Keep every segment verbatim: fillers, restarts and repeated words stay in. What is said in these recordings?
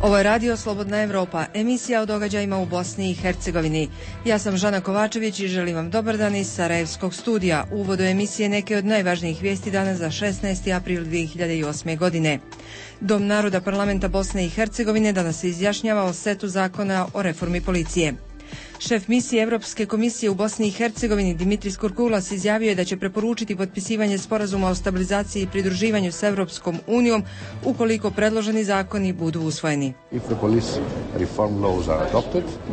Ovo je Radio Slobodna Evropa, emisija o događajima u Bosni i Hercegovini. Ja sam Žana Kovačević i želim vam dobar dan iz Sarajevskog studija. U uvodu emisije neke od najvažnijih vijesti danas za šesnaesti april dvije hiljade osme. godine. Dom naroda parlamenta Bosne i Hercegovine danas se izjašnjava o setu zakona o reformi policije. Šef misije Evropske komisije u Bosni i Hercegovini Dimitris Kurkulas izjavio je da će preporučiti potpisivanje sporazuma o stabilizaciji i pridruživanju s Evropskom unijom ukoliko predloženi zakoni budu usvojeni.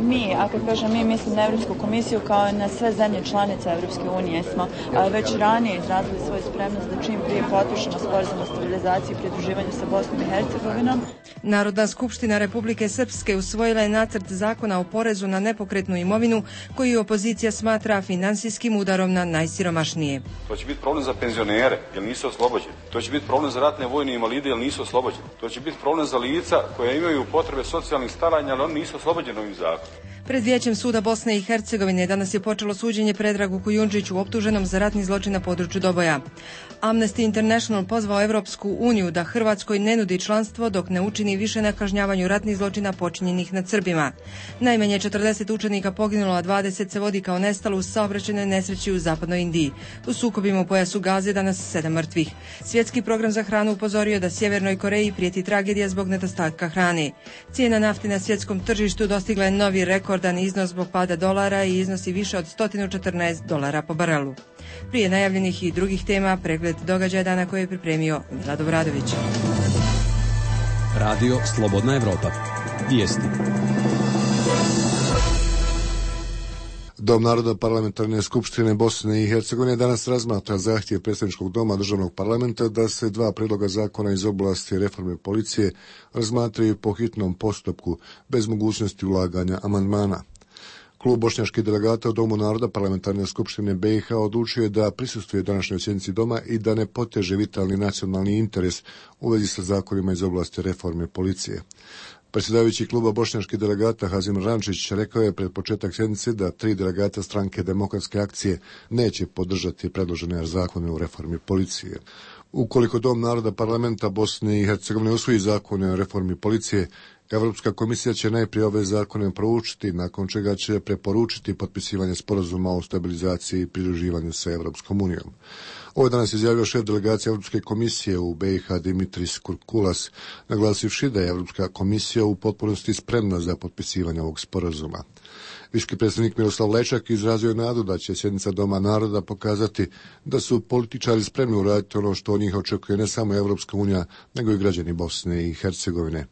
Mi, a kad kažem mi, mislim na Evropsku komisiju kao i na sve zemlje članice Evropske unije, smo a, već ranije izrazili svoju spremnost da čim prije potpišemo sporazum o stabilizaciji i pridruživanju sa Bosnom i Hercegovinom. Narodna skupština Republike Srpske usvojila je nacrt zakona o porezu na nepokretnu imovinu koju opozicija smatra finansijskim udarom na najsiromašnije. To će biti problem za penzionere jer nisu oslobođeni. To će biti problem za ratne vojne invalide jer nisu oslobođeni. To će biti problem za lica koja imaju potrebe socijalnih staranja ali oni nisu oslobođeni ovim zakonom. Pred Vijećem suda Bosne i Hercegovine danas je počelo suđenje Predragu Kujundžiću optuženom za ratni zločin na području Doboja. Amnesty International pozvao Evropsku uniju da Hrvatskoj ne nudi članstvo dok ne učini više na kažnjavanju ratnih zločina počinjenih nad Srbima. Najmanje četrdeset učenika poginulo, a dvadeset se vodi kao nestalo u saobraćajnoj nesreći u zapadnoj Indiji. U sukobima u pojasu Gaze danas sedam mrtvih. Svjetski program za hranu upozorio da Sjevernoj Koreji prijeti tragedija zbog nedostatka hrane. Cijena nafte na svjetskom tržištu dostigla je novi rekordan iznos zbog pada dolara i iznosi više od sto četrnaest dolara po barelu. Prije najavljenih i drugih tema, pregled događaja dana koje je pripremio Milad Obradović. Radio Slobodna Evropa. Vijesti. Dom naroda parlamentarne skupštine Bosne i Hercegovine danas razmatra zahtjev predsjedničkog doma državnog parlamenta da se dva prijedloga zakona iz oblasti reforme policije razmatraju po hitnom postupku bez mogućnosti ulaganja amandmana. Klub bošnjačkih delegata u Domu naroda parlamentarne skupštine B i H odlučio je da prisustvuje današnjoj sjednici doma i da ne poteže vitalni nacionalni interes u vezi sa zakonima iz oblasti reforme policije. Predsjedavajući kluba bošnjačkih delegata Hazim Rančić rekao je pred početak sjednice da tri delegata stranke Demokratske akcije neće podržati predložene zakone u reformi policije. Ukoliko Dom naroda parlamenta Bosne i Hercegovine usvoji zakone o reformi policije, Evropska komisija će najprije ove zakone proučiti, nakon čega će preporučiti potpisivanje sporazuma o stabilizaciji i pridruživanju sa Evropskom unijom. Ovo je danas izjavio šef delegacije Evropske komisije u B i H Dimitris Kurkulas, naglasivši da je Evropska komisija u potpunosti spremna za potpisivanje ovog sporazuma. Visoki predstavnik Miroslav Lečak izrazio je nadu da će sjednica Doma naroda pokazati da su političari spremni uraditi ono što od njih očekuje ne samo Evropska unija, nego i građani Bosne i Hercegovine.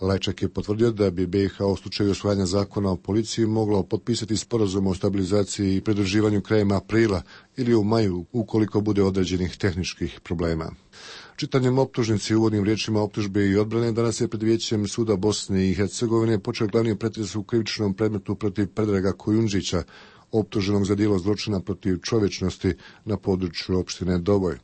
Lečak je potvrdio da bi B i H u slučaju usvajanja zakona o policiji moglo potpisati sporazum o stabilizaciji i pridruživanju krajem aprila ili u maju ukoliko bude određenih tehničkih problema. Čitanjem optužnici i uvodnim riječima optužbe i odbrane danas je pred Vijećem suda Bosne i Hercegovine počeo glavni pretres u krivičnom predmetu protiv Predraga Kujundžića, optuženog za djelo zločina protiv čovječnosti na području opštine Doboj.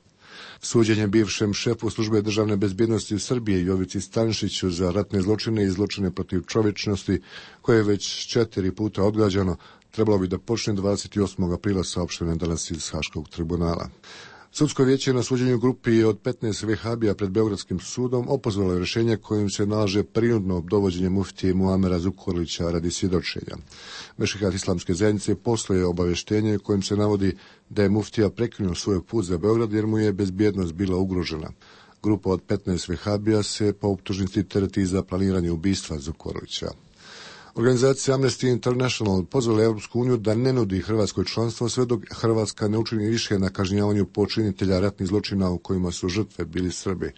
Suđenje bivšem šefu službe državne bezbjednosti u Srbiji Jovici Stanšiću za ratne zločine i zločine protiv čovječnosti, koje je već četiri puta odgađano, trebalo bi da počne dvadeset osmog aprila, saopšteno je danas iz Haškog tribunala. Sudsko vijeće na suđenju grupi od petnaest vehabija pred Beogradskim sudom opozvalo je rješenje kojim se nalaže prinudno dovođenje muftije Muamera Zukorlića radi svjedočenja. Mešehat islamske zajednice poslao je obavještenje kojim se navodi da je muftija prekinuo svoj put za Beograd jer mu je bezbjednost bila ugrožena. Grupa od petnaest vehabija se po optužnici tereti za planiranje ubistva Zukorlića. Organizacija Amnesty International pozvala Evropsku uniju da ne nudi Hrvatskoj članstvo sve dok Hrvatska ne učini više na kažnjavanju počinitelja ratnih zločina u kojima su žrtve bili Srbi.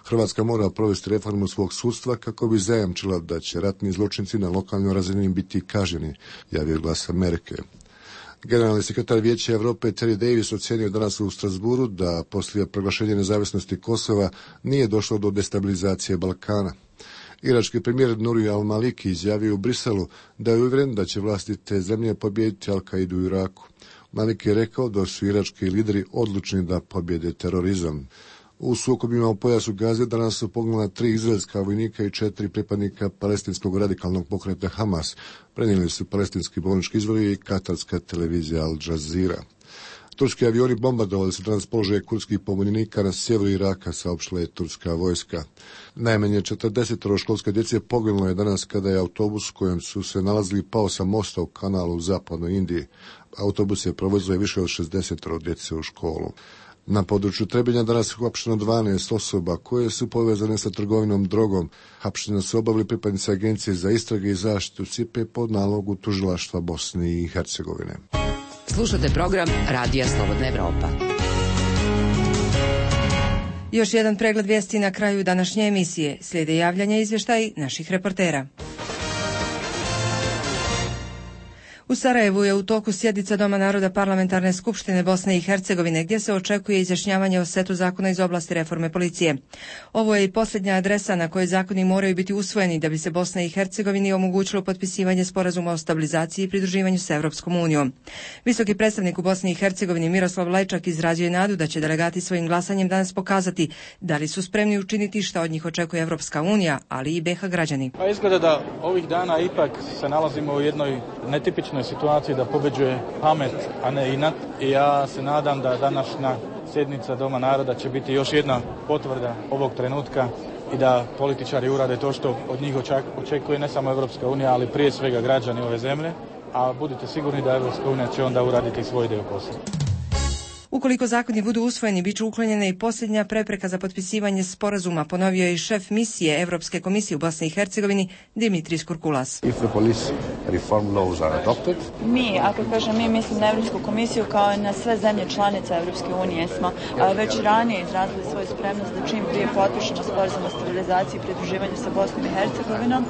Hrvatska mora provesti reformu svog sudstva kako bi zajamčila da će ratni zločinci na lokalnoj razini biti kažnjeni, javio Glas Amerike. Generalni sekretar Vijeća Europe Terry Davis ocijenio danas u Strasburu da poslije proglašenja nezavisnosti Kosova nije došlo do destabilizacije Balkana. Irački premijer Nuri al-Maliki izjavio u Briselu da je uvjeren da će vlasti te zemlje pobijediti Al-Kaidu u Iraku. Maliki je rekao da su irački lideri odlučni da pobjede terorizam. U sukobima u pojasu Gaze danas su poginula tri izraelska vojnika i četiri pripadnika palestinskog radikalnog pokreta Hamas, prenijeli su palestinski bolnički izvori i katarska televizija Al Jazeera. Turski avioni bombardovali su danas položaje kurdskih pobunjenika na sjeveru Iraka, saopštila je turska vojska. Najmanje četrdeset školske djece poginulo je danas kada je autobus kojem su se nalazili pao sa mosta u kanalu u zapadnoj Indiji. Autobus je provozio više od šezdeset djece u školu. Na području Trebinja danas je uhapšeno dvanaest osoba koje su povezane sa trgovinom drogom. Hapšenja su obavili pripadnici Agencije za istrage i zaštitu C I P E pod nalogu tužilaštva Bosne i Hercegovine. Slušate program Radija Slobodna Evropa. Još jedan pregled vijesti na kraju današnje emisije. Slijede javljanja i izvještaji naših reportera. U Sarajevu je u toku sjednica Doma naroda Parlamentarne skupštine Bosne i Hercegovine, gdje se očekuje izjašnjavanje o setu zakona iz oblasti reforme policije. Ovo je i posljednja adresa na kojoj zakoni moraju biti usvojeni da bi se Bosna i Hercegovini omogućilo potpisivanje sporazuma o stabilizaciji i pridruživanju s Evropskom unijom. Visoki predstavnik u Bosni i Hercegovini Miroslav Lajčak izrazio je nadu da će delegati svojim glasanjem danas pokazati da li su spremni učiniti šta od njih očekuje Evropska unija, ali i B iH građani. Pa izgleda da ovih dana ipak se nalazimo u jednoj netipičnoj situaciji da pobeđuje pamet, a ne inat. I ja se nadam da današnja sjednica Doma naroda će biti još jedna potvrda ovog trenutka i da političari urade to što od njih očekuje ne samo Evropska unija, ali prije svega građani ove zemlje, a budite sigurni da Evropska unija će onda uraditi svoj dio posla. Ukoliko zakoni budu usvojeni, bit će uklonjena i posljednja prepreka za potpisivanje sporazuma, ponovio je i šef misije Evropske komisije u Bosni i Hercegovini Dimitris Kurkulas. Mi, ako kažem mi, mislim na Evropsku komisiju kao i na sve zemlje članice Evropske unije smo već ranije izrazili svoju spremnost da čim prije potpišemo sporazum o stabilizaciji i pridruživanju sa Bosnom i Hercegovinom.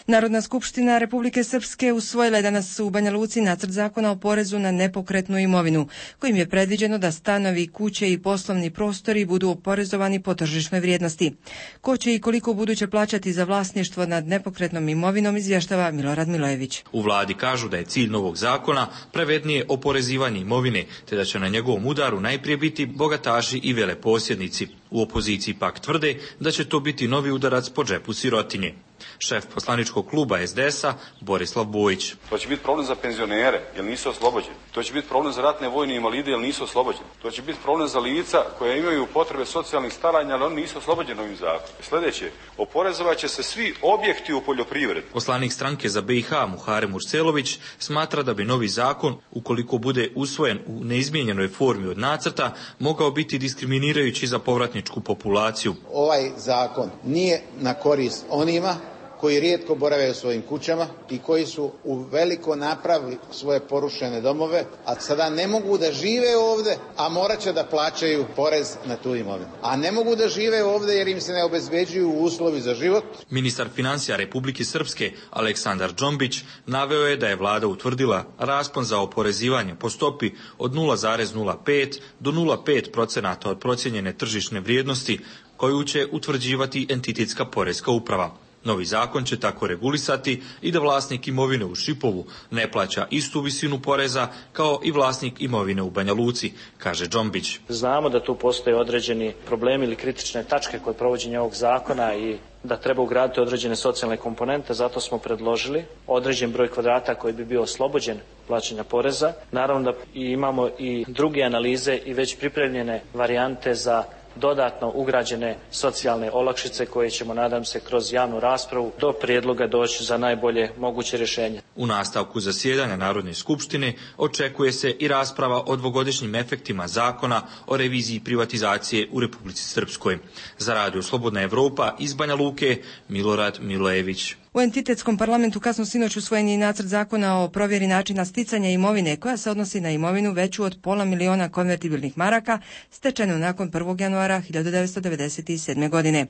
Narodna skupština Republike Srpske usvojila je danas u Banja Luci nacrt zakona o porezu na nepokretnu imovinu, kojim je predviđeno da stanovi, kuće i poslovni prostori budu oporezovani po tržišnoj vrijednosti. Ko će i koliko buduće plaćati za vlasništvo nad nepokretnom imovinom, izvještava Milorad Milojević. U vladi kažu da je cilj novog zakona pravednije oporezivanje imovine, te da će na njegovom udaru najprije biti bogataši i veleposjednici. U opoziciji pak tvrde da će to biti novi udarac po džepu sirotinje. Šef poslaničkog kluba S D S-a Borislav Bojić. To će biti problem za penzionere, jer nisu oslobođeni. To će biti problem za ratne vojne invalide, jer nisu oslobođeni. To će biti problem za lica koja imaju potrebe socijalnih staranja, ali oni nisu oslobođeni ovim zakonom. Sljedeće, oporezovat će se svi objekti u poljoprivredi. Poslanik stranke za B iH Muharem Urselović smatra da bi novi zakon, ukoliko bude usvojen u neizmijenjenoj formi od nacrta, mogao biti diskriminirajući za povratničku populaciju. Ovaj zakon nije na korist onima koji rijetko borave u svojim kućama i koji su u veliko napravili svoje porušene domove, a sada ne mogu da žive ovdje, a morat će da plaćaju porez na tu imovinu. A ne mogu da žive ovdje jer im se ne obezbeđuju uslovi za život. Ministar financija Republike Srpske Aleksandar Džombić naveo je da je vlada utvrdila raspon za oporezivanje po stopi od nula zarez nula pet do nula zarez pet procenata od procijenjene tržišne vrijednosti koju će utvrđivati entitetska porezka uprava. Novi zakon će tako regulisati i da vlasnik imovine u Šipovu ne plaća istu visinu poreza kao i vlasnik imovine u Banja Luci, kaže Džombić. Znamo da tu postoje određeni problemi ili kritične tačke kod provođenja ovog zakona i da treba ugraditi određene socijalne komponente, zato smo predložili određen broj kvadrata koji bi bio oslobođen plaćanja poreza. Naravno da imamo i druge analize i već pripremljene varijante za dodatno ugrađene socijalne olakšice koje ćemo, nadam se, kroz javnu raspravu do prijedloga doći za najbolje moguće rješenje. U nastavku zasjedanja Narodne skupštine očekuje se i rasprava o dvogodišnjim efektima zakona o reviziji privatizacije u Republici Srpskoj. Za Radio Slobodna Evropa iz Banja Luke, Milorad Milojević. U entitetskom parlamentu kasno sinoć usvojen je nacrt zakona o provjeri načina sticanja imovine koja se odnosi na imovinu veću od pola miliona konvertibilnih maraka stečenu nakon prvog januara hiljadu devetsto devedeset sedme. godine.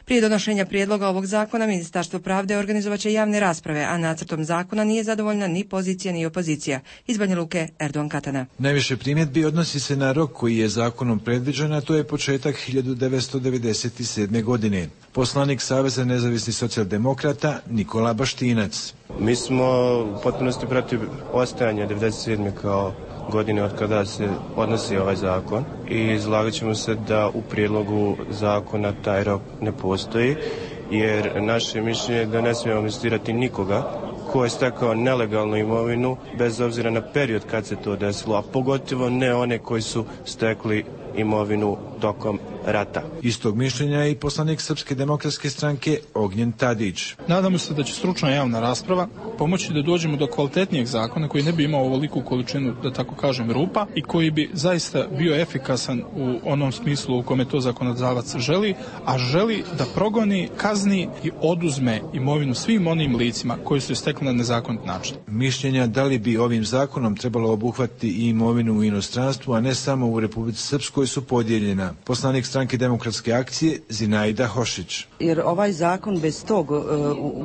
Prije donošenja prijedloga ovog zakona Ministarstvo pravde organizovaće javne rasprave, a nacrtom zakona nije zadovoljna ni pozicija ni opozicija. Iz Banja Luke, Erdogan Katana. Najviše primjedbi odnosi se na rok koji je zakonom predviđen, a to je početak hiljadu devetsto devedeset sedme. godine. Poslanik Saveza nezavisnih socijaldemokrata Nikola Baštinac. Mi smo u potpunosti protiv ostajanja devedeset sedme. kao godine od kada se odnosi ovaj zakon i izlagat ćemo se da u prijedlogu zakona taj rok ne postoji, jer naše mišljenje je da ne smijemo investirati nikoga ko je stekao nelegalnu imovinu, bez obzira na period kad se to desilo, a pogotovo ne one koji su stekli imovinu tokom rata. Istog mišljenja je i poslanik Srpske demokratske stranke Ognjen Tadić. Nadamo se da će stručna javna rasprava pomoći da dođemo do kvalitetnijeg zakona koji ne bi imao ovoliku količinu, da tako kažem, rupa i koji bi zaista bio efikasan u onom smislu u kome to zakonodavac želi, a želi da progoni, kazni i oduzme imovinu svim onim licima koji su je stekli na nezakonit način. Mišljenja da li bi ovim zakonom trebalo obuhvatiti i imovinu u inostranstvu, a ne samo u Republici Srpskoj, su podijeljena. Poslanik stranke Demokratske akcije Zinaida Hošić. Jer ovaj zakon bez tog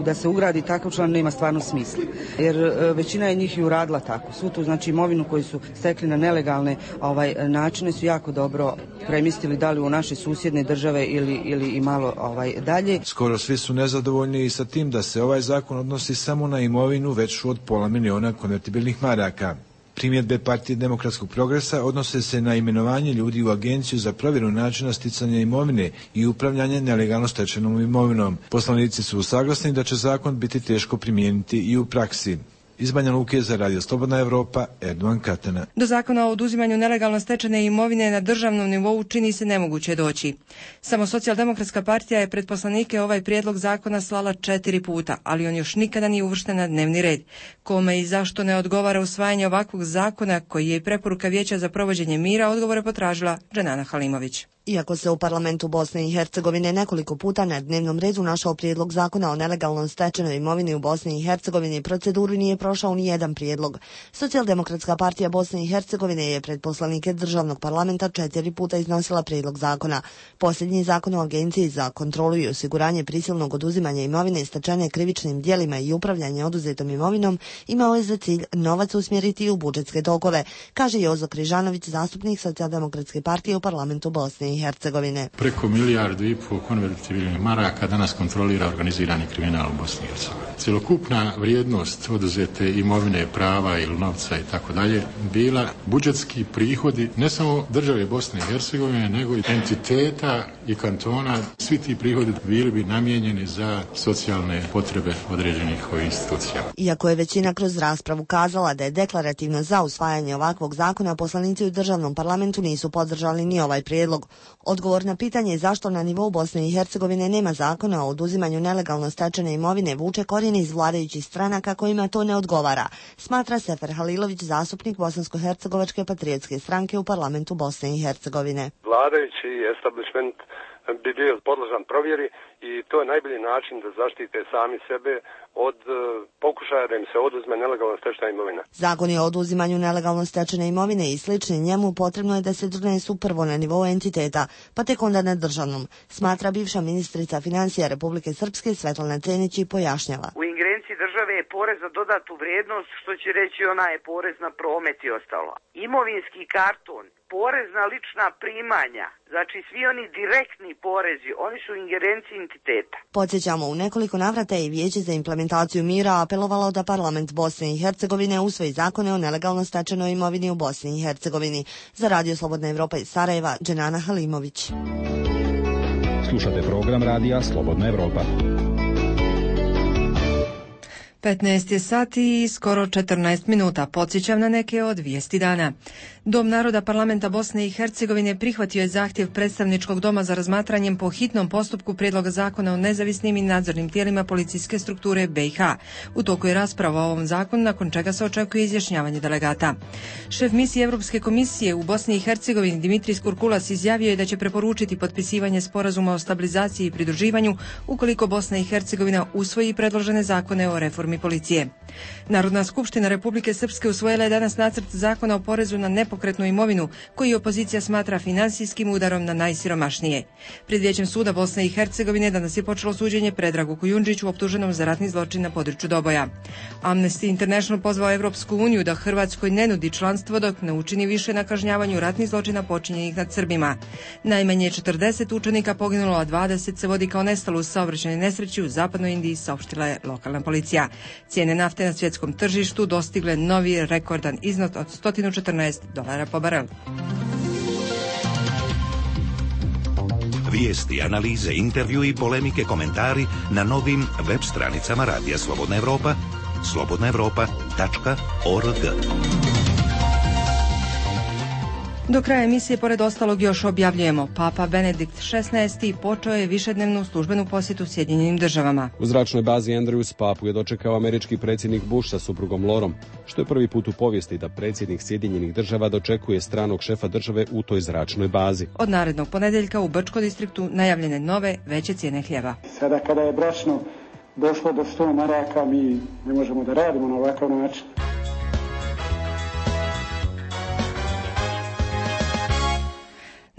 da se ugradi takav član nema stvarno smisla. Jer većina je njih i uradila tako. Svu tu znači imovinu koju su stekli na nelegalne ovaj načine su jako dobro premjestili da li u naše susjedne države ili, ili i malo ovaj dalje. Skoro svi su nezadovoljni i sa tim da se ovaj zakon odnosi samo na imovinu veću od pola miliona konvertibilnih maraka. Primjedbe Partije demokratskog progresa odnose se na imenovanje ljudi u Agenciju za provjeru načina sticanja imovine i upravljanje nelegalno stečenom imovinom. Poslanici su usaglasni da će zakon biti teško primijeniti i u praksi. Iz Banja Luke za Radio Slobodna Evropa, Erdovan Katana. Do zakona o oduzimanju nelegalno stečene imovine na državnom nivou čini se nemoguće doći. Samo Socijaldemokratska partija je pred poslanike ovaj prijedlog zakona slala četiri puta, ali on još nikada nije uvršten na dnevni red. Kome i zašto ne odgovara usvajanje ovakvog zakona koji je i preporuka Vijeća za provođenje mira, odgovore potražila Dženana Halimović. Iako se u parlamentu Bosne i Hercegovine nekoliko puta na dnevnom redu našao prijedlog zakona o nelegalno stečenoj imovini u Bosni i Hercegovini, proceduru nije prošao ni jedan prijedlog. Socijaldemokratska partija Bosne i Hercegovine je pred poslanike državnog parlamenta četiri puta iznosila prijedlog zakona. Posljednji zakon o Agenciji za kontrolu i osiguranje prisilnog oduzimanja imovine stečene krivičnim djelima i upravljanje oduzetom imovinom imao je za cilj novac usmjeriti u budžetske tokove, kaže Jozo Križanović, zastupnik Socijaldemokratske partije u parlamentu Bosne i Hercegovine. Preko milijardu i pol konvertibilnih maraka danas kontrolira organizirani kriminal u Bosni i Hercegovini. Cjelokupna vrijednost oduzete imovine, prava ili novca i tako dalje bila budžetski prihodi ne samo države Bosne i Hercegovine, nego i entiteta i kantona. Svi ti prihodi bili bi namijenjeni za socijalne potrebe određenih institucija. Iako je većina kroz raspravu kazala da je deklarativno za usvajanje ovakvog zakona, poslanici u državnom parlamentu nisu podržali ni ovaj prijedlog. Odgovor na pitanje zašto na nivou Bosne i Hercegovine nema zakona o oduzimanju nelegalno stečene imovine vuče korijene iz vladajućih stranaka kojima to ne odgovara, smatra Sefer Halilović, zastupnik Bosansko-hercegovačke patriotske stranke u parlamentu Bosne i Hercegovine. Vladajući establishment bi bio podložan provjeri i to je najbolji način da zaštite sami sebe od uh, pokušaja da im se oduzme nelegalno stečena imovina. Zakoni o oduzimanju nelegalno stečene imovine i slični njemu potrebno je da se donesu prvo na nivou entiteta, pa tek onda na državnom, smatra bivša ministrica financija Republike Srpske Svetlana Cenić i pojašnjava. U ingerenciji države je porez za dodatu vrijednost, što će reći ona je porez na promet i ostalo. Imovinski karton, porez na lična primanja, znači svi oni direktni porezi, oni su u ingerenciji entiteta. Podsjećamo, u nekoliko navrata je Vijeće za implementaciju mira apelovalo da parlament Bosne i Hercegovine usvoji zakone o nelegalno stečenoj imovini u Bosni i Hercegovini. Za Radio Slobodna Evropa iz Sarajeva, Dženana Halimović. Slušate program Radija Slobodna Evropa. petnaest je sati i skoro četrnaest minuta. Podsjećam na neke od vijesti dana. Dom naroda parlamenta Bosne i Hercegovine prihvatio je zahtjev predstavničkog doma za razmatranjem po hitnom postupku prijedloga zakona o nezavisnim i nadzornim tijelima policijske strukture B i H. U toku je rasprava o ovom zakonu, nakon čega se očekuje izjašnjavanje delegata. Šef misije Europske komisije u Bosni i Hercegovini Dimitris Kurkulas izjavio je da će preporučiti potpisivanje sporazuma o stabilizaciji i pridruživanju ukoliko Bosna i Hercegovina usvoji predložene zakone o reformi policije. Narodna skupština Republike Srpske usvojila je danas nacrt zakona o porezu na nepokretnu imovinu, koji opozicija smatra finansijskim udarom na najsiromašnije. Pred Vijećem suda Bosne i Hercegovine danas je počelo suđenje Predragu Kujundžiću, optuženom za ratni zločin na području Doboja. Amnesty International pozvao Evropsku uniju da Hrvatskoj ne nudi članstvo dok ne učini više na kažnjavanju ratnih zločina počinjenih nad Srbima. Najmanje četrdeset učenika poginulo, a dvadeset se vodi kao nestalo u saobraćajnoj nesreći u zapadnoj Indiji, saopštila je lokalna policija. Cijene nafte na svjetskom tržištu dostigle novi rekordan iznos od sto četrnaest dolara po barelu. Vijesti, analize, intervju i polemike, komentari na novim web stranicama Radija Slobodna Evropa, slobodna evropa tačka org. Do kraja emisije, pored ostalog, još objavljujemo. Papa Benedikt šesnaesti počeo je višednevnu službenu posjetu Sjedinjenim državama. U zračnoj bazi Andrews papu je dočekao američki predsjednik Bush sa suprugom Lorom, što je prvi put u povijesti da predsjednik Sjedinjenih država dočekuje stranog šefa države u toj zračnoj bazi. Od narednog ponedeljka u Brčko distriktu najavljene nove, veće cijene hljeba. Sada kada je brašno došlo do sto maraka, mi ne možemo da radimo na ovakav način.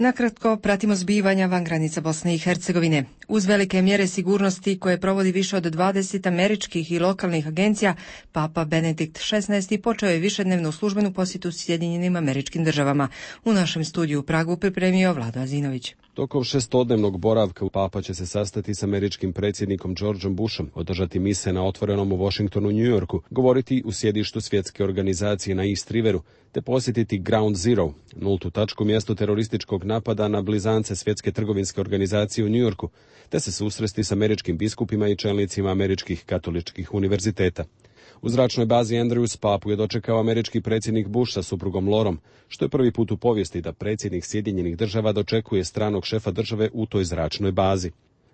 Nakratko pratimo zbivanja van granica Bosne i Hercegovine. Uz velike mjere sigurnosti koje provodi više od dvadeset američkih i lokalnih agencija, Papa Benedikt šesnaesti počeo je višednevnu službenu posjetu Sjedinjenim američkim državama. U našem studiju u Pragu pripremio Vlado Azinović. Tokom šestodnevnog boravka Papa će se sastati s američkim predsjednikom Georgeom Bushom, održati mise na otvorenom u Washingtonu, New Yorku, govoriti u sjedištu svjetske organizacije na East Riveru, te posjetiti Ground Zero, nultu tačku, mjesto terorističkog napada na blizance svjetske trgovinske organizacije u New Yorku, te se susresti s američkim biskupima i čelnicima američkih katoličkih univerziteta. U zračnoj bazi Andrews papu je dočekao američki predsjednik Bush sa suprugom Lorom, što je prvi put u povijesti da predsjednik Sjedinjenih država dočekuje stranog šefa države u toj zračnoj bazi.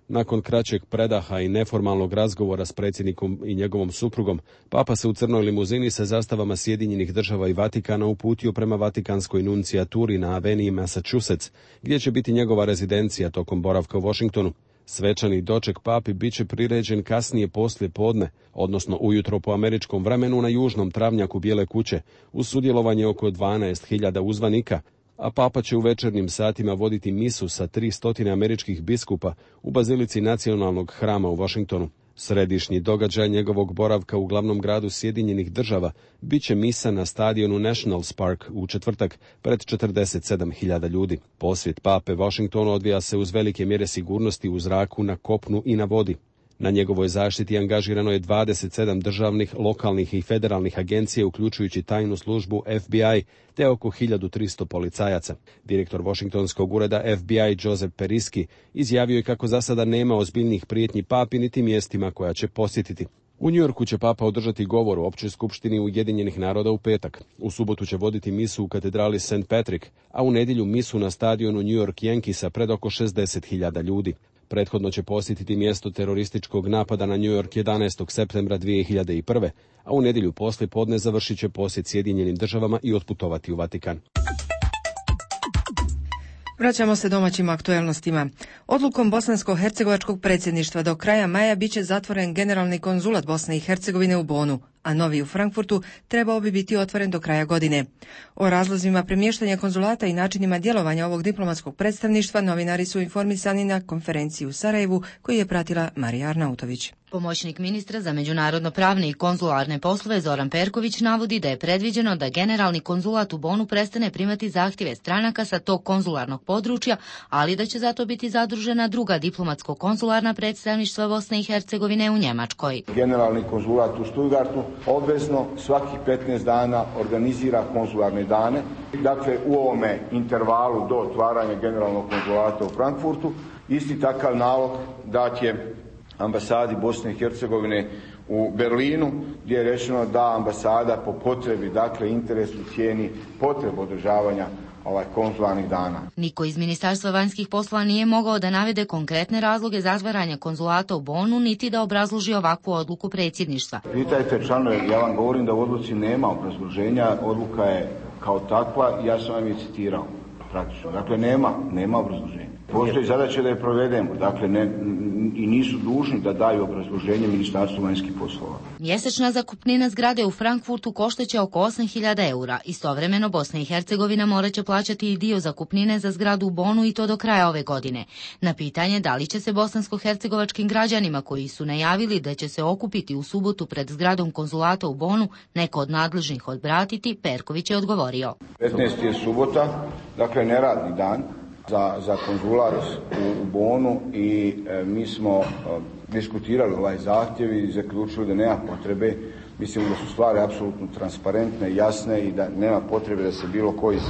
Nakon kraćeg predaha i neformalnog razgovora s predsjednikom i njegovom suprugom, Papa se u crnoj limuzini sa zastavama Sjedinjenih država i Vatikana uputio prema Vatikanskoj nuncijaturi na aveniji Massachusetts, gdje će biti njegova rezidencija tokom boravka u Washingtonu. Svečani doček papi bit će priređen kasnije poslije podne, odnosno ujutro po američkom vremenu na južnom travnjaku Bijele kuće, uz sudjelovanje oko dvanaest hiljada uzvanika, a papa će u večernjim satima voditi misu sa tri stotine američkih biskupa u bazilici Nacionalnog hrama u Washingtonu. Središnji događaj njegovog boravka u glavnom gradu Sjedinjenih država bit će misa na stadionu Nationals Park u četvrtak pred četrdeset sedam hiljada ljudi. Posjet pape Washingtonu odvija se uz velike mjere sigurnosti u zraku, na kopnu i na vodi. Na njegovoj zaštiti angažirano je dvadeset sedam državnih, lokalnih i federalnih agencija, uključujući tajnu službu F B I, te oko hiljadu tristo policajaca. Direktor Washingtonskog ureda F B I Joseph Periski izjavio je kako za sada nema ozbiljnih prijetnji papi niti mjestima koja će posjetiti. U New Yorku će papa održati govor u Općoj skupštini Ujedinjenih naroda u petak. U subotu će voditi misu u katedrali Saint Patrick, a u nedjelju misu na stadionu New York Yankeesa pred oko šezdeset hiljada ljudi. Prethodno će posjetiti mjesto terorističkog napada na New York jedanaestog septembra dvije hiljade prve, a u nedjelju poslije podne završit će posjet Sjedinjenim državama i otputovati u Vatikan. Vraćamo se domaćim aktuelnostima. Odlukom bosansko-hercegovačkog predsjedništva do kraja maja bit će zatvoren generalni konzulat Bosne i Hercegovine u Bonu, a novi u Frankfurtu trebao bi biti otvoren do kraja godine. O razlozima premještanja konzulata i načinima djelovanja ovog diplomatskog predstavništva novinari su informisani na konferenciji u Sarajevu koju je pratila Marija Arnautović. Pomoćnik ministra za međunarodno pravne i konzularne poslove Zoran Perković navodi da je predviđeno da generalni konzulat u Bonu prestane primati zahtjeve stranaka sa tog konzularnog područja, ali da će zato biti zadružena druga diplomatsko-konzularna predstavništva Bosne i Hercegovine u Njemačkoj. Generalni konzulat u Stuttgartu obvezno svakih petnaest dana organizira konzularne dane. Dakle, u ovome intervalu do otvaranja generalnog konzulata u Frankfurtu isti takav nalog dat je ambasadi Bosne i Hercegovine u Berlinu, gdje je rečeno da ambasada po potrebi, dakle interesu, cijeni potrebu održavanja ovaj konzularnih dana. Niko iz Ministarstva vanjskih poslova nije mogao da navede konkretne razloge zatvaranja konzulata u Bonu, niti da obrazloži ovakvu odluku predsjedništva. Pitajte članove, ja vam govorim da u odluci nema obrazloženja, odluka je kao takva i ja sam vam je citirao praktično. Dakle, nema, nema obrazloženja. Postoji zadaća da je provedemo, dakle ne, i nisu dužni da daju obrazloženje Ministarstvu vanjskih poslova. Mjesečna zakupnina zgrade u Frankfurtu koštaće oko osam hiljada eura. Istovremeno Bosna i Hercegovina morat će plaćati i dio zakupnine za zgradu u Bonu i to do kraja ove godine. Na pitanje da li će se bosansko-hercegovačkim građanima koji su najavili da će se okupiti u subotu pred zgradom konzulata u Bonu neko od nadležnih odbratiti, Perković je odgovorio. petnaesti je subota, dakle neradni dan za, za konzulat u, u Bonu i e, mi smo e, diskutirali ovaj zahtjev i zaključili da nema potrebe. Mislim da su stvari apsolutno transparentne, jasne i da nema potrebe da se bilo ko iz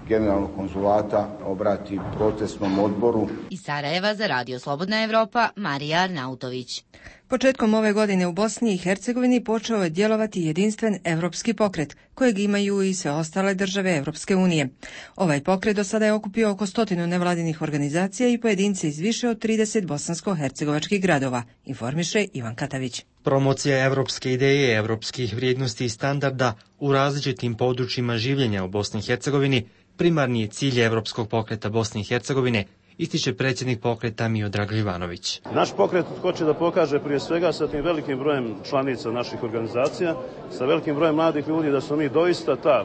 generalnog konzulata obrati protestnom odboru. Iz Sarajeva za Radio Slobodna Evropa, Marija Arnautović. Početkom ove godine u Bosni i Hercegovini počeo je djelovati jedinstven evropski pokret, kojeg imaju i sve ostale države Evropske unije. Ovaj pokret do sada je okupio oko stotinu nevladinih organizacija i pojedince iz više od trideset bosansko-hercegovačkih gradova, informiše Ivan Katavić. Promocija evropske ideje, evropskih vrijednosti i standarda u različitim područjima življenja u Bosni i Hercegovini primarni je cilj Evropskog pokreta Bosne i Hercegovine, ističe predsjednik pokreta Miodrag Živanović. Naš pokret hoće da pokaže prije svega sa tim velikim brojem članica naših organizacija, sa velikim brojem mladih ljudi da smo mi doista ta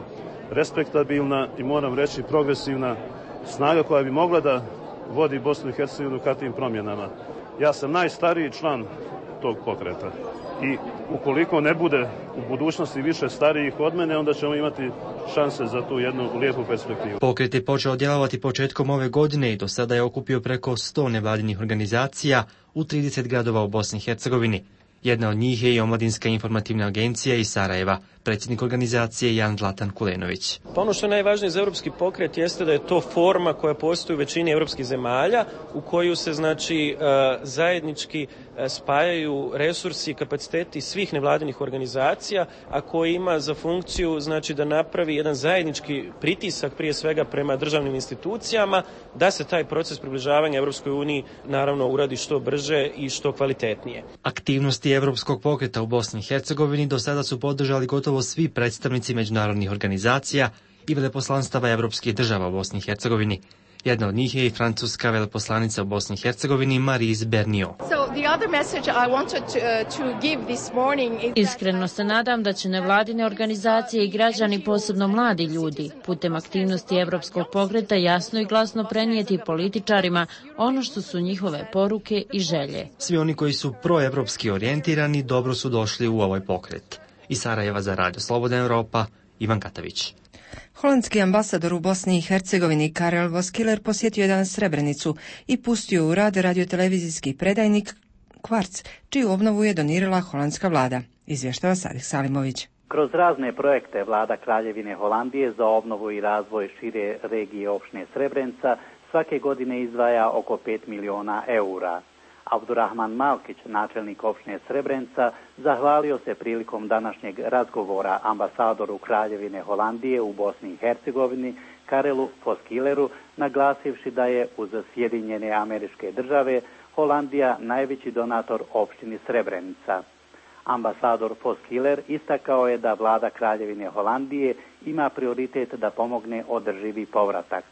respektabilna i moram reći progresivna snaga koja bi mogla da vodi Bosnu i Hercegovinu ka tim promjenama. Ja sam najstariji član tog pokreta i ukoliko ne bude u budućnosti više starijih od mene, onda ćemo imati šanse za tu jednu lijepu perspektivu. Pokret je počeo djelovati početkom ove godine i do sada je okupio preko sto nevladinih organizacija u trideset gradova u Bosni i Hercegovini. Jedna od njih je i Omladinska informativna agencija iz Sarajeva, predsjednik organizacije Jan Zlatan Kulenović. Pa ono što je najvažnije za evropski pokret jeste da je to forma koja postoji u većini evropskih zemalja u koju se znači zajednički spajaju resursi i kapaciteti svih nevladinih organizacija, a koji ima za funkciju znači da napravi jedan zajednički pritisak prije svega prema državnim institucijama da se taj proces približavanja Evropskoj uniji naravno uradi što brže i što kvalitetnije. Aktivnosti Evropskog pokreta u Bosni i Hercegovini do sada su podržali gotovo svi predstavnici međunarodnih organizacija i veleposlanstava evropskih država u Bosni i Hercegovini. Jedna od njih je i francuska veleposlanica u Bosni i Hercegovini Maryse Bernio. Iskreno se nadam da će nevladine organizacije i građani, posebno mladi ljudi, putem aktivnosti Evropskog pokreta jasno i glasno prenijeti političarima ono što su njihove poruke i želje. Svi oni koji su proevropski orijentirani dobro su došli u ovaj pokret. Iz Sarajeva za Radio Slobodna Evropa, Ivan Katavić. Holandski ambasador u Bosni i Hercegovini Karel Voskiler posjetio je danas Srebrenicu i pustio u rad radiotelevizijski predajnik Kvarc, čiju obnovu je donirala holandska vlada, izvještava Sadik Salimović. Kroz razne projekte vlada Kraljevine Holandije za obnovu i razvoj šire regije opštine Srebrenica svake godine izdvaja oko pet miliona eura. Abdurrahman Malkić, načelnik opštine Srebrenica, zahvalio se prilikom današnjeg razgovora ambasadoru Kraljevine Holandije u Bosni i Hercegovini Karelu Voskileru, naglasivši da je uz Sjedinjene Američke Države Holandija najveći donator opštini Srebrenica. Ambasador Voskiler istakao je da vlada Kraljevine Holandije ima prioritet da pomogne održivi povratak.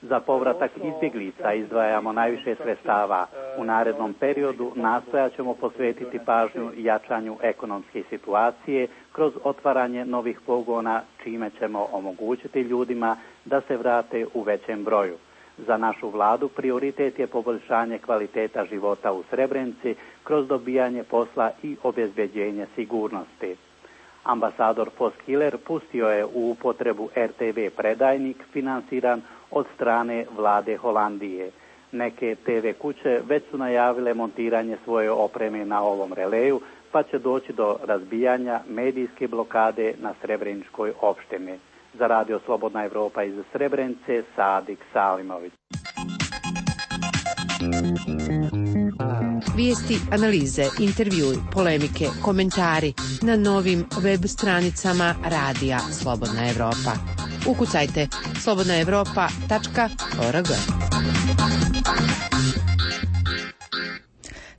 Za povratak izbjeglica izdvajamo najviše sredstava. U narednom periodu nastojat ćemo posvetiti pažnju jačanju ekonomske situacije kroz otvaranje novih pogona, čime ćemo omogućiti ljudima da se vrate u većem broju. Za našu vladu prioritet je poboljšanje kvaliteta života u Srebrenici kroz dobijanje posla i obezbeđenje sigurnosti. Ambasador Voskiler pustio je u upotrebu R T V predajnik finansiran od strane vlade Holandije. Neke T V kuće već su najavile montiranje svoje opreme na ovom releju, pa će doći do razbijanja medijske blokade na Srebreničkoj opštini. Za Radio Slobodna Evropa iz Srebrenice, Sadik Salimović. Vijesti, analize, intervjui, polemike, komentari na novim web stranicama Radija Slobodna Evropa. Ukucajte slobodna evropa tačka org.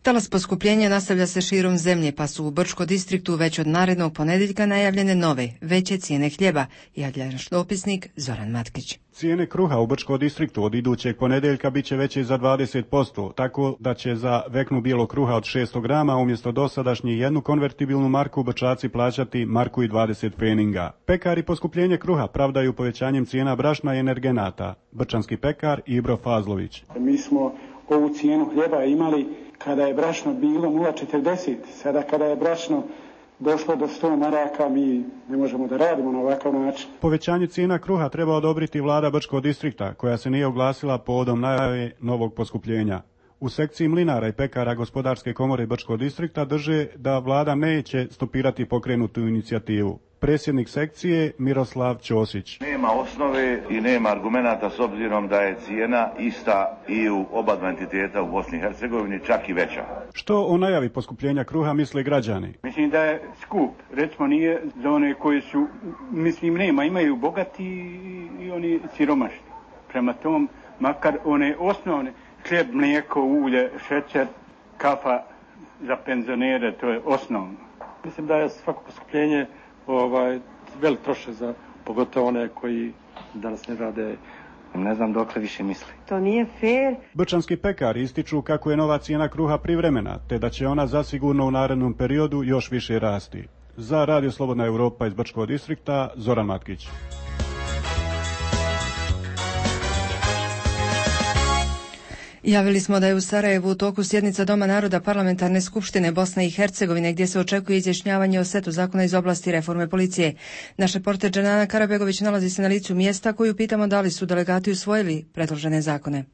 Talas poskupljenja nastavlja se širom zemlje, pa su u Brčko distriktu već od narednog ponedjeljka najavljene nove, veće cijene hljeba, javlja naš dopisnik Zoran Matkić. Cijene kruha u Brčko distriktu od idućeg ponedjeljka bit će veće za dvadeset posto, tako da će za veknu bijelog kruha od šesto grama umjesto dosadašnje jednu konvertibilnu marku Brčaci plaćati marku i dvadeset pfeninga. Pekari poskupljenje kruha pravdaju povećanjem cijena brašna i energenata. Brčanski pekar Ibro Fazlović. Mi smo ovu cijenu hljeba imali kada je brašno bilo nula zarez četrdeset, sada kada je brašno došlo do sto maraka, mi ne možemo da radimo na ovakav način. Povećanje cijena kruha treba odobriti vlada Brčkog distrikta, koja se nije oglasila povodom najave novog poskupljenja. U sekciji mlinara i pekara Gospodarske komore Brčkog distrikta drže da vlada neće stopirati pokrenutu inicijativu. predsjednik sekcije Miroslav Ćosić. Nema osnove i nema argumenata s obzirom da je cijena ista i u oba dva entiteta u Bosni i Hercegovini, čak i veća. Što o najavi poskupljenja kruha misle građani? Mislim da je skup. Recimo nije za one koji su, mislim nema, imaju bogati i oni siromašni. Prema tom, makar one osnovne, hljeb, mlijeko, ulje, šećer, kafa za penzionere, to je osnovno. Mislim da je svako poskupljenje ovaj, velik trošak za pogotovo one koji danas ne rade. Ne znam dokle više misli. To nije fair. Brčanski pekari ističu kako je nova cijena kruha privremena, te da će ona zasigurno u narednom periodu još više rasti. Za Radio Slobodna Europa iz Brčkog distrikta, Zoran Matkić. Javili smo da je u Sarajevu u toku sjednica Doma naroda Parlamentarne skupštine Bosne i Hercegovine gdje se očekuje izjašnjavanje o setu zakona iz oblasti reforme policije. Naš reporter Dženana Karabegović nalazi se na licu mjesta koju pitamo da li su delegati usvojili predložene zakone.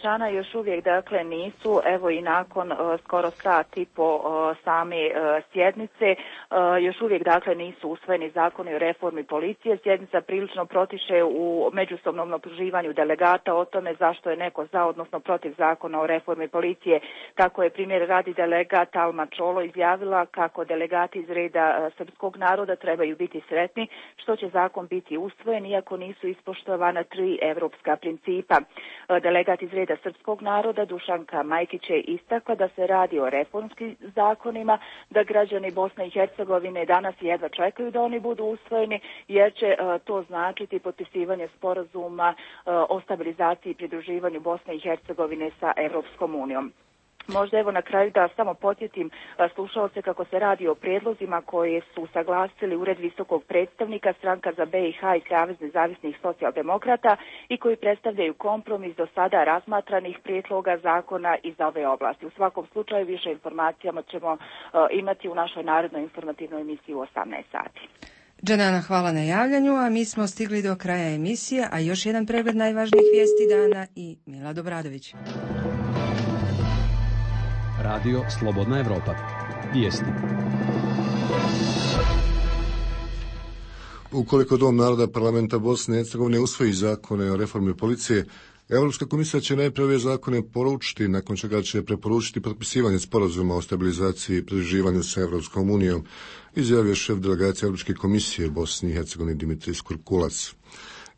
Žana još uvijek dakle nisu, evo i nakon uh, skoro sat i po uh, same uh, sjednice, uh, još uvijek dakle nisu usvojeni zakoni o reformi policije. Sjednica prilično protiše u međusobnom optuživanju delegata o tome zašto je neko za, odnosno protiv zakona o reformi policije. Tako je primjer radi delegat Alma Čolo izjavila kako delegati iz reda uh, srpskog naroda trebaju biti sretni što će zakon biti usvojen iako nisu ispoštovana tri evropska principa. Uh, delegat iz reda srpskog naroda Dušanka Majkić je istakla da se radi o reformskim zakonima, da građani Bosne i Hercegovine danas jedva čekaju da oni budu usvojeni, jer će uh, to značiti potpisivanje sporazuma uh, o stabilizaciji i pridruživanju Bosne i Hercegovine sa Evropskom unijom. Možda evo na kraju da samo podsjetim slušalce kako se radi o prijedlozima koje su saglasili Ured visokog predstavnika, Stranka za B i H i Savez nezavisnih socijaldemokrata i koji predstavljaju kompromis do sada razmatranih prijedloga zakona iz ove oblasti. U svakom slučaju više informacijama ćemo uh, imati u našoj narodnoj informativnoj emisiji u osamnaest sati. Dženana, hvala na javljanju, a mi smo stigli do kraja emisije, a još jedan pregled najvažnijih vijesti dana i Mila Dobradović. Radio Slobodna Evropa. Vijesti. Ukoliko Dom naroda Parlamenta Bosne i Hercegovine usvoji zakone o reformi policije, Europska komisija će najprije ove zakone poručiti, nakon čega će preporučiti potpisivanje sporazuma o stabilizaciji i pridruživanju sa Europskom unijom, izjavio šef delegacije Europske komisije Bosni i Hercegovine Dimitris Kurkulac.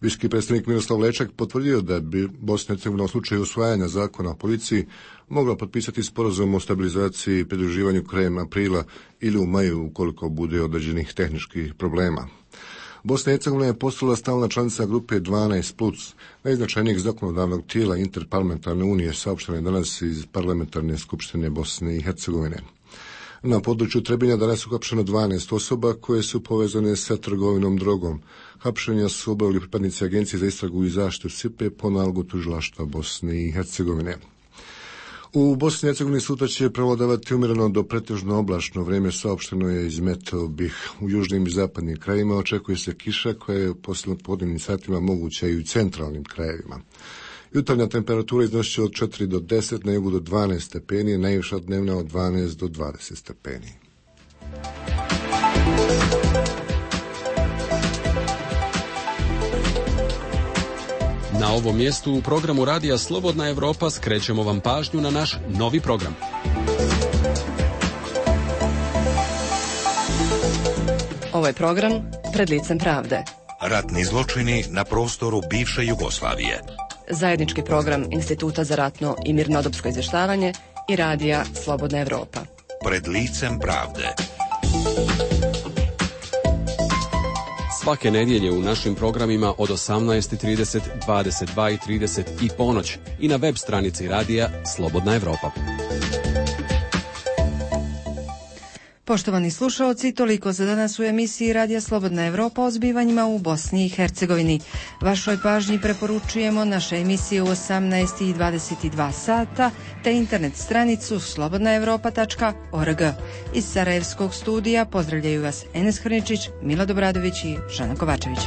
Visoki predstavnik Miroslav Lečak potvrdio da bi Bosna i Hercegovina u slučaju usvajanja zakona o policiji mogla potpisati sporazum o stabilizaciji i pridruživanju krajem aprila ili u maju ukoliko bude određenih tehničkih problema. Bosna i Hercegovina je postala stalna članica grupe dvanaest plus, najznačajnijeg zakonodavnog tijela Interparlamentarne unije, saopšteno je danas iz Parlamentarne skupštine Bosne i Hercegovine. Na području Trebinja danas uhapšeno dvanaest osoba koje su povezane sa trgovinom drogom. Hapšenja su obavili pripadnici Agencije za istragu i zaštitu S I P E po nalogu tužilaštva Bosne i Hercegovine. U Bosni i Hercegovini sutra će prevladavati umjereno do pretežno oblačno vrijeme, saopšteno je iz Meteo BiH. U južnim i zapadnim krajevima očekuje se kiša koja je u poslijepodnevnim satima moguća i u centralnim krajevima. Jutarnja temperatura iznosi od četiri do deset, na jugu do dvanaest stepeni, najviša dnevna od dvanaest do dvadeset stepeni. Na ovom mjestu u programu Radija Slobodna Evropa skrećemo vam pažnju na naš novi program. Ovo je program Pred licem pravde. Ratni zločini na prostoru bivše Jugoslavije. Zajednički program Instituta za ratno i mirnodopsko izvještavanje i Radija Slobodna Evropa. Pred licem pravde. Svake nedjelje u našim programima od osamnaest i trideset, dvadeset dva i trideset i ponoć i na web stranici Radija Slobodna Evropa. Poštovani slušaoci, toliko za danas u emisiji Radija Slobodna Evropa o zbivanjima u Bosni i Hercegovini. Vašoj pažnji preporučujemo naše emisije u osamnaest i dvadeset dva sata te internet stranicu slobodna evropa tačka org. Iz Sarajevskog studija pozdravljaju vas Enes Hrničić, Mila Dobradović i Žana Kovačević.